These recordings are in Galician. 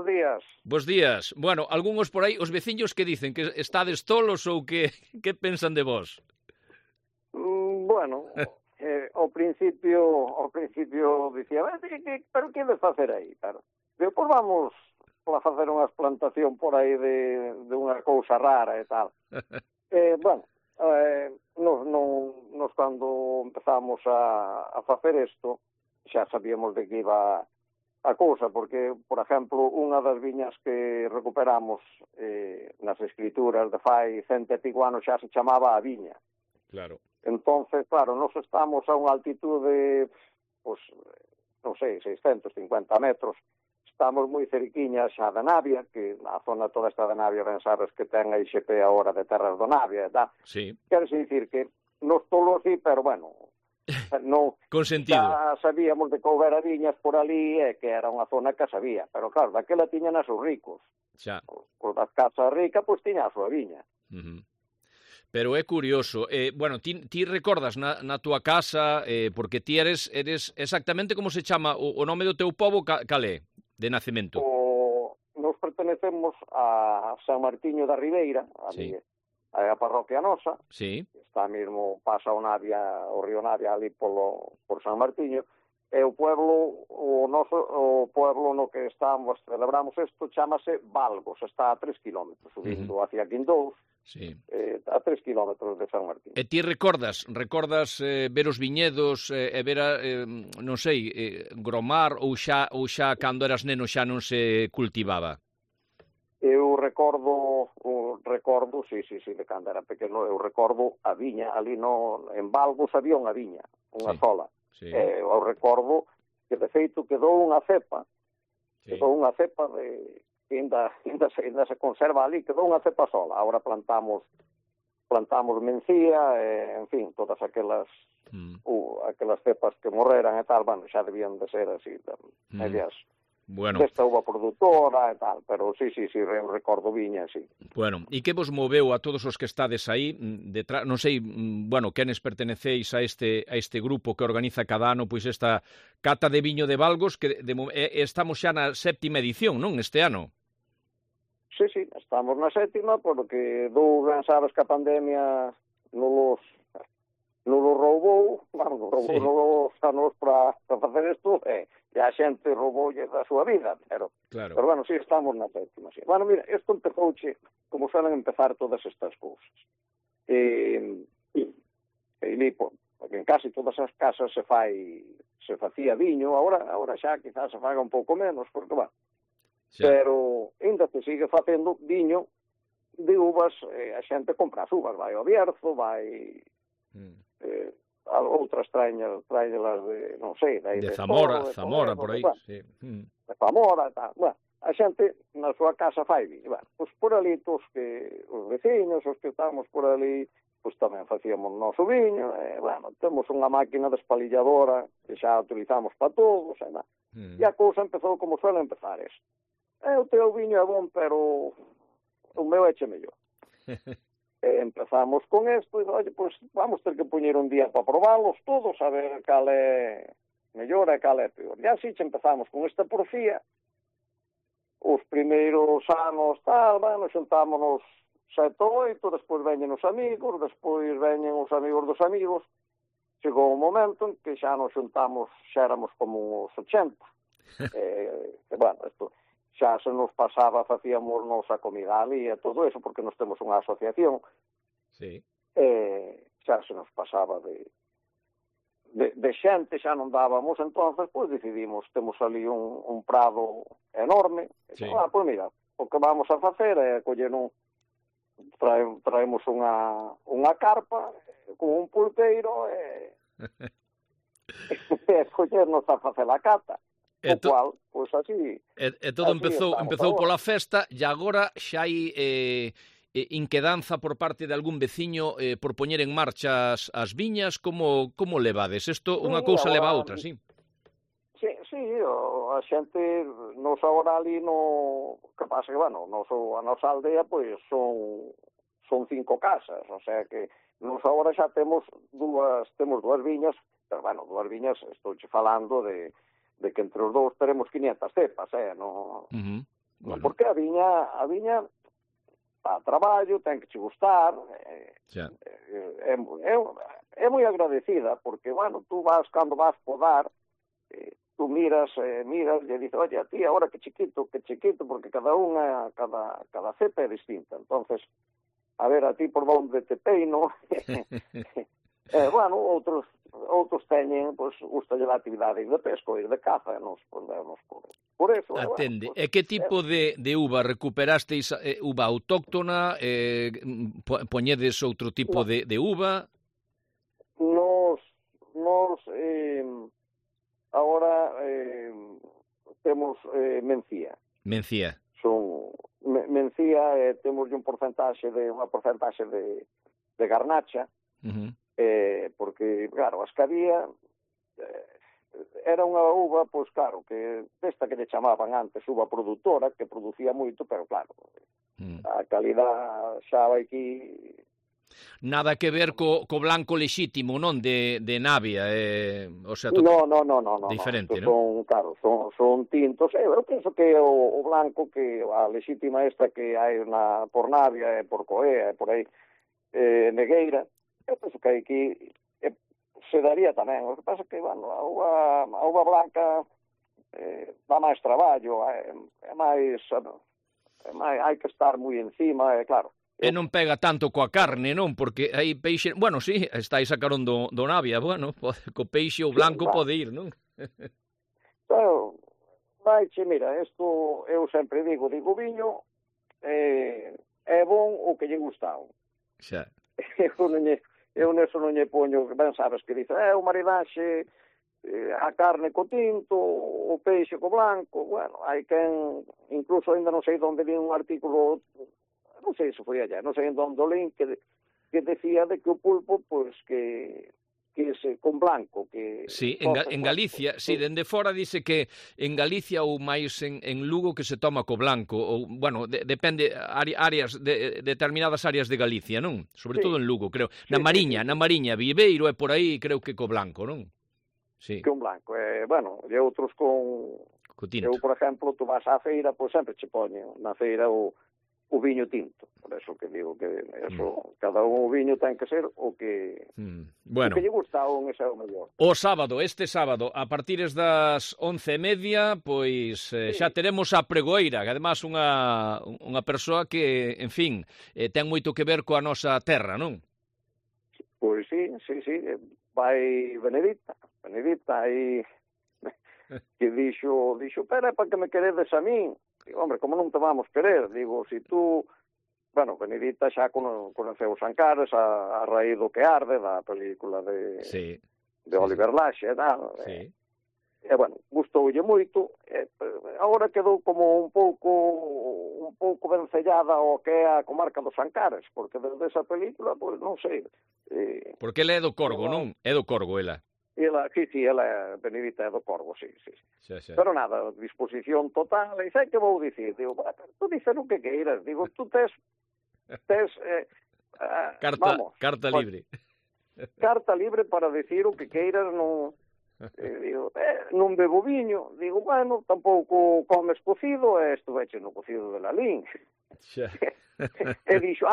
días. Bos días. Bueno, algúns por aí, os veciños que dicen que estades tolos ou que pensan de vos? Bueno, ao principio dicía, pero que ides facer aí? Pero, pois vamos a facer unha plantación por aí de unha cousa rara e tal. Bueno, nos cando empezamos a facer isto, xa sabíamos de que iba a cousa, porque, por exemplo, unha das viñas que recuperamos nas escrituras de fai 100 e pico anos xa se chamaba a viña. Claro. Entonces, claro, nos estamos a unha altitude, pues, non sei, 650 metros. Estamos moi cerquiñas xa da Navia, que a zona toda esta da Navia, ben sabes que ten a IXP agora de Terras do Navia, e tal. Sí. Quero dicir que nos tolo así, pero bueno, non, con sentido. xa sabíamos de que houbera viñas por ali e que era unha zona que sabía, pero claro, daquela tiñan a seus ricos. Xa. Os das casas ricas, pois tiña a súa viña. Pero é curioso, bueno, ti recordas na túa casa, porque ti eres exactamente como se chama o nome do teu pobo, cal é, de nacemento? Nos pertenecemos a San Martiño da Ribeira, ali, a parroquia nosa, sí. Está mesmo, pasa o río Navia ali por San Martiño, e o pueblo no que celebramos isto, chamase Valgos, está a 3 kilómetros, subindo hacia Quindous, sí. A 3 kilómetros de San Martín. E ti recordas ver os viñedos e ver, non sei, gromar ou xa cando eras neno xa non se cultivaba? Eu recordo, sí, de cando era pequeno, eu recordo a viña, ali en Valgos había unha viña, unha sola. Sí. Eu recordo que de feito quedou unha cepa de que ainda se conserva ali, quedou unha cepa sola. Agora plantamos mencía, en fin, todas aquelas cepas que morreran e tal, bueno, xa debían de ser así, medias desta uva produtora e tal, pero sí, eu recordo viña, sí. Bueno, e que vos moveu a todos os que estades aí, detrás, non sei, bueno, quenes pertenecéis a este grupo que organiza cada ano, pois esta cata de viño de Valgos, que estamos xa na 7ª edición, non, este ano? Sí, estamos na 7ª, porque ben sabes que a pandemia non nos roubou, nos anos para facer isto, e a xente rouboulle da súa vida, pero bueno, sí, estamos na 7ª, sí. Bueno, mira, isto empezouche, como suelen empezar todas estas cousas. Porque en casi todas as casas se facía viño, agora xa quizás se faga un pouco menos, porque, bueno, pero ainda se sigue facendo viño de uvas, a xente compra as uvas, vai ao Bierzo, vai outras traeñas de, non sei, de Zamora, por aí, sí. De Zamora e tal. Bueno, a xente na súa casa fai viño. Bueno, pois por ali os veciños, os que estamos por ali, pois tamén facíamos o noso viño, e, bueno, temos unha máquina despalilladora que xa utilizamos para todos, e a cousa empezou como suele empezar isto. O teu viño é bon, pero o meu eche mellor. Empezamos con isto, e, oye, pois vamos ter que poñer un día para probalos todos, a ver cal é mellor e cal é peor. E así empezamos con esta porfía. Os primeiros anos, tal, bueno, xuntámonos 7 ou 8, despois veñen os amigos, despois veñen os amigos dos amigos. Chegou un momento en que xa nos xuntamos, xa éramos como uns 80. Bueno, isto xa se nos pasaba, facíamos nosa comida ali e todo eso, porque nos temos unha asociación. Sí. Xa se nos pasaba de xente, xa non dábamos, entonces, pois decidimos, temos ali un prado enorme, pois mira, o que vamos a facer é coller traemos unha carpa con un pulpeiro e collernos a facer a cata. O cual, pois así... E todo empezou pola festa, e agora xa hai inquedanza por parte de algún veciño por poñer en marcha as viñas. Como levades? Isto, unha cousa leva a outra, sí? Sí, a xente nos agora ali que pasa que, bueno, a nosa aldea, pois, son 5 casas, o sea que nos agora xa temos dúas viñas, pero, bueno, dúas viñas, estou falando de que entre os dous teremos 500 cepas, no? Bueno. Porque a viña a traballo, ten que che gustar, é moi agradecida, porque, bueno, tú vas, cando vas podar, tú miras, e dices, oye, a ti, ahora que chiquito, porque cada cepa é distinta, entonces, a ver, a ti por onde te peino, bueno, outros teñen, pois, gustalle a actividade de pesco, ir de caza, nos podemos por eso. Atende, Bueno, pues, e que tipo de uva recuperasteis? Uva autóctona? Poñedes outro tipo de uva? Nos ahora temos mencía. Mencía. Mencía, temos unha porcentaxe de garnacha, porque, claro, as que había era unha uva, pois claro, que desta que lle chamaban antes uva produtora, que producía moito, pero claro, a calidad xa vai aquí... Nada que ver co blanco lexítimo, non? De Navia, o sea, No, diferente, non? Claro, son tintos. Eu penso que o blanco, que a lexítima esta que hai por Navia, por Coea, por aí, Negueira, eu penso que aquí se daría tamén. O que pasa que, bueno, a uva blanca dá máis traballo, é máis, hai que estar moi encima, claro. E non pega tanto coa carne, non? Porque aí peixe... Bueno, sí, estáis sacaron do Navia, bueno, co peixe o blanco pode ir, non? Pero, mira, isto eu sempre digo, viño é bon o que lle gustao. Xa. Eu neso non lle poño, ben sabes que dice, o maridaxe, a carne co tinto, o peixe co blanco, bueno, hai quen, incluso ainda non sei onde vi un artículo, non sei se foi allá, non sei onde o link, que decía de que o pulpo, pois, que con blanco, que... Sí, en Galicia, sí, dende fora dice que en Galicia ou máis en Lugo que se toma co blanco, ou, bueno, depende, determinadas áreas de Galicia, non? Sobre todo en Lugo, creo. Na Mariña, Viveiro e por aí, creo que co blanco, non? Sí. Que un blanco, bueno, e outros con tinto. Eu, por exemplo, tú vas á feira, pois sempre che poñen na feira o viño tinto, por eso que digo que eso, cada un o viño ten que ser o que bueno, o que lle gusta un ese é o mellor. Este sábado, a partir das 11:30, pois xa teremos a pregoeira, que además unha persoa que, en fin, ten moito que ver coa nosa terra, non? Pois sí, vai Benedita aí que dixo, pero é para que me queredes a min. Digo, hombre, como non te vamos querer? Digo, si tú... Bueno, Benedita xa conoceu os Ancares a raíz do que arde, da película de Oliver Laxe e tal. E, bueno, gustoulle moito. Agora quedou como un pouco vencellada ao que é a comarca dos Ancares, porque desde esa película, pois, non sei. Porque ela é do Corgo, non? É do Corgo, ela. Ela é Benedita é do Corgo, sí. Pero nada, disposición total, e sei que vou dicir, digo, tú dices o que queiras, digo, tú tes carta libre. Carta libre para decir o que queiras, non digo, non bebo viño, digo, bueno, tampouco comes cocido, estuveche no cocido de Lalín. E dixo,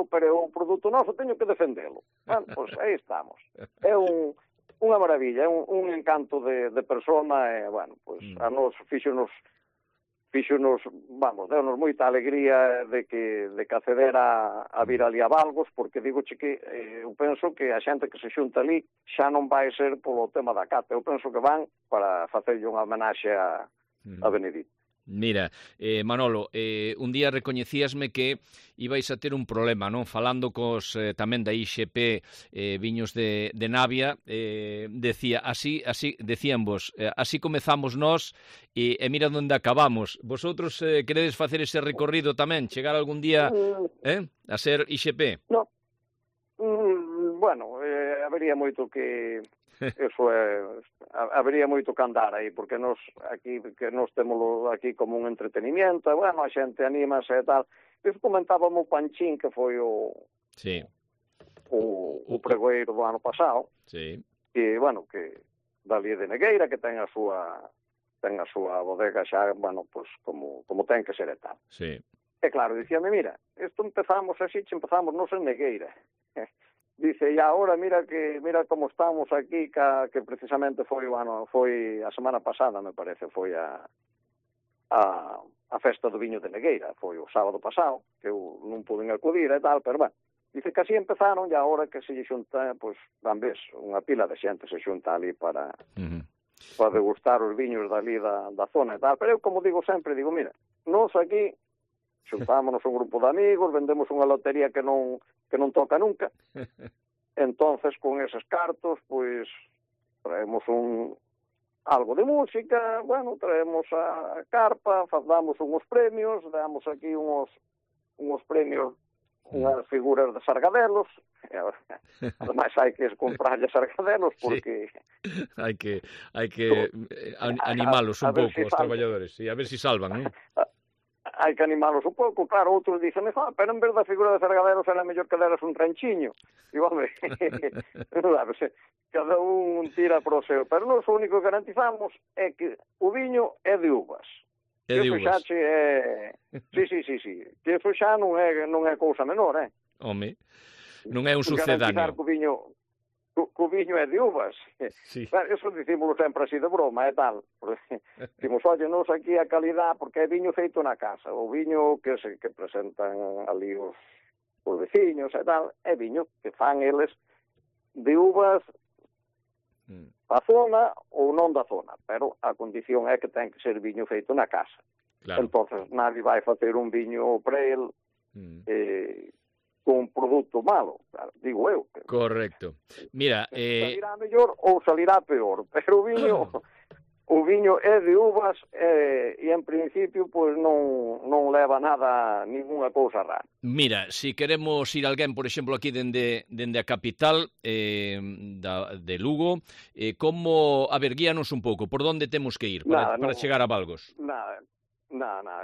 pero o produto noso teño que defendelo. Bueno, pois aí estamos. É unha maravilla, é un encanto de persona, e, bueno, pois a nos fíxonos, vamos, deu-nos moita alegría de que acceder a vir ali a Valgos, porque digoche que eu penso que a xente que se xunta ali xa non vai ser polo tema da cata, eu penso que van para facerlle unha homenaxe a Benedito. Mira, Manolo, un día recoñecíasme que ibais a ter un problema, non? Falando cos tamén da IXP viños de Navia, decían vos, así comezamos nós e mira onde acabamos. Vosotros queredes facer ese recorrido tamén, chegar algún día a ser IXP? No, bueno, habería moito que... Eso habería moito que andar aí, porque nos temos aquí como un entretenimiento, e, bueno, a xente anímase e tal. Eso comentábamos o Panchín, que foi o pregoeiro do ano pasado, que, bueno, que dali de Negueira, que ten a súa ten a súa bodega xa, bueno, pues como ten que ser e tal. Sí. E claro, dicíame, mira, isto empezamos así, empezamos nos en Negueira. Dice, e agora mira como estamos aquí, que precisamente foi a semana pasada, me parece, foi a festa do viño de Negueira, foi o sábado pasado, que eu non pude acudir e tal, pero bueno, dice que así empezaron, e agora que se lle xunta, pues, van ves, unha pila de xente se xunta ali para degustar os viños dali da zona e tal, pero eu, como digo sempre, digo, mira, nos aquí xuntámonos un grupo de amigos, vendemos unha lotería que non toca nunca, entonces con eses cartos, pois, traemos algo de música, bueno, traemos a carpa, damos uns premios, damos aquí uns premios, unhas figuras de sargadelos, ademais hai que comprarlle sargadelos porque... Sí. Hai que animalos un pouco os traballadores, e a ver se salvan, non? Hai que animalos un pouco, claro, outros dicen, pero en vez da figura de sargadelos era mellor que deras un ranchiño. E, home, cada un tira pro seu. Pero nós o único que garantizamos é que o viño é de uvas. É de uvas. Sí. Que eso xa non é cousa menor, Home, non é un sucedáneo. Garantizar que o viño é de uvas. Sí. Eso dicímoslo sempre así de broma e tal. Dicimos, oye, nos aquí a calidad, porque é viño feito na casa. O viño que presentan ali os veciños e tal, é viño que fan eles de uvas da zona ou non da zona, pero a condición é que ten que ser viño feito na casa. Claro. Entonces, nadie vai facer un viño para el con un produto malo, claro, digo eu. Correcto. Mira, salirá mellor ou salirá peor, pero o viño é de uvas e en principio pois non leva nada, ninguna cousa rara. Mira, si queremos ir alguén, por exemplo, aquí dende a capital de Lugo, como, a ver, guíanos un pouco, por onde temos que ir para chegar a Valgos? Nada,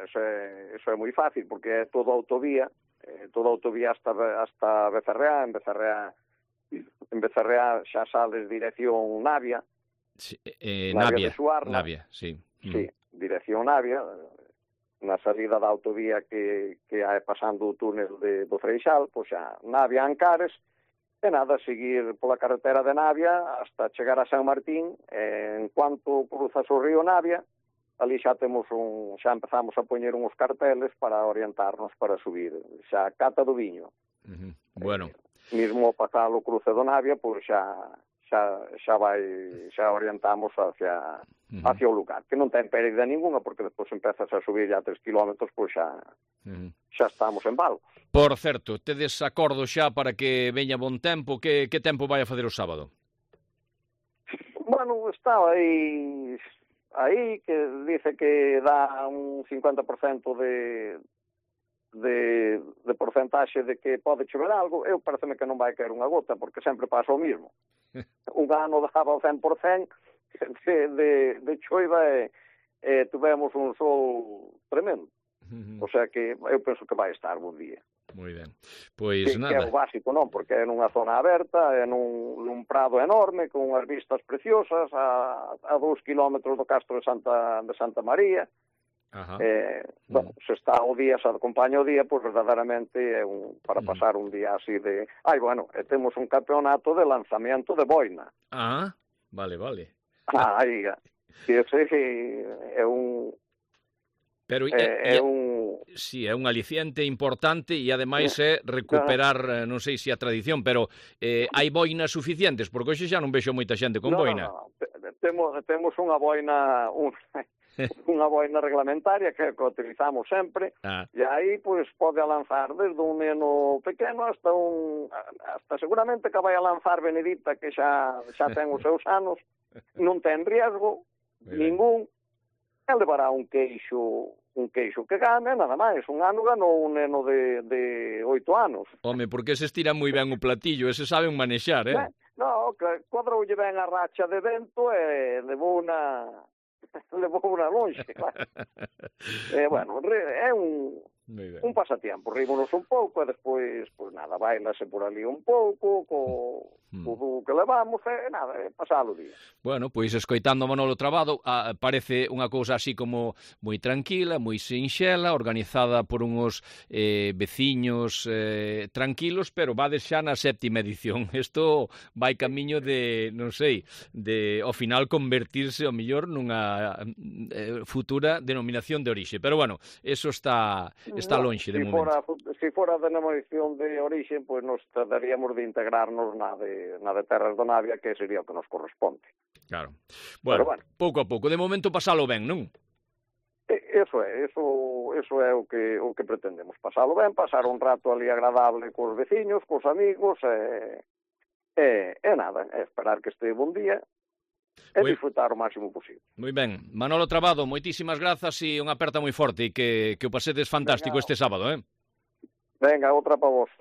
eso é moi fácil, porque é toda autovía hasta Becerreá, en Becerreá xa sales dirección Navia, sí, Navia, sí. Sí, dirección Navia, na salida da autovía que hai pasando o túnel do Freixal, pois xa Navia Ancares, e nada, seguir pola carretera de Navia hasta chegar a San Martín, en cuanto cruzas o río Navia, ali xa empezamos a poñer uns carteles para orientarnos para subir xa a cata do viño. Bueno. Mismo pasar o cruce do Navia, pois xa orientamos hacia o lugar, que non ten pérdida ninguna, porque despois empezas a subir ya 3 kilómetros, pois xa estamos en Valgos. Por certo, tedes acordo xa para que veña bon tempo, que tempo vai a facer o sábado? Bueno, está aí que dice que dá un 50% de porcentaxe de que pode chover algo. Eu pareceme que non vai caer unha gota, porque sempre pasa o mismo. Un ano daba o 100% de choiva e tuvemos un sol tremendo. O sea que eu penso que vai estar bon día. Moi ben. Pois nada. Que é o básico, non? Porque é nunha zona aberta, é nun prado enorme, con unhas vistas preciosas, a 2 kilómetros do Castro de Santa María. Bueno, se está o día, se acompaña o día, pois verdadeiramente é para pasar un día así de... Bueno, temos un campeonato de lanzamiento de boina. Vale. Aí, é un... Pero sí, é un aliciente importante e ademais é recuperar, non sei se a tradición, pero hai boinas suficientes, porque hoxe xa non vexo moita xente con boina. No. Temos unha boina unha boina reglamentaria que utilizamos sempre, e aí pois pode lanzar desde un neno pequeno hasta seguramente que vai a lanzar Benedita, que xa ten os seus anos, non ten riesgo ningún. Ele levará un queixo que gane, nada máis. Un ano ganou un neno de 8 anos. Home, porque ese estira moi ben o platillo, ese saben manexar, No, cuadroulle ben a racha de vento e levou unha lonxe, claro. Bueno, é un pasatiempo, rímonos un pouco e despois, pois nada, bailase por ali un pouco, co dúo que levamos e nada, pasalo o día. Bueno, pois escoitando a Manolo Trabado, parece unha cousa así como moi tranquila, moi sinxela, organizada por uns veciños tranquilos, pero vades xa na 7ª edición. Isto vai camiño de, non sei, de ao final convertirse ao mellor nunha futura denominación de orixe. Pero bueno, eso está lonxe de momento. Se fora a denominación de orixe, pois nos trataríamos de integrarnos na de Terras do Navia, que sería o que nos corresponde. Claro. Bueno, pouco a pouco. De momento pasalo ben, non? Eso é o que pretendemos. Pasalo ben, pasar un rato ali agradable cos veciños, cos amigos, e nada, esperar que este bon día e disfrutar o máximo posible. Moi ben. Manolo Trabado, moitísimas grazas e unha aperta moi forte e que o pasedes fantástico este sábado, Venga, outra para vos.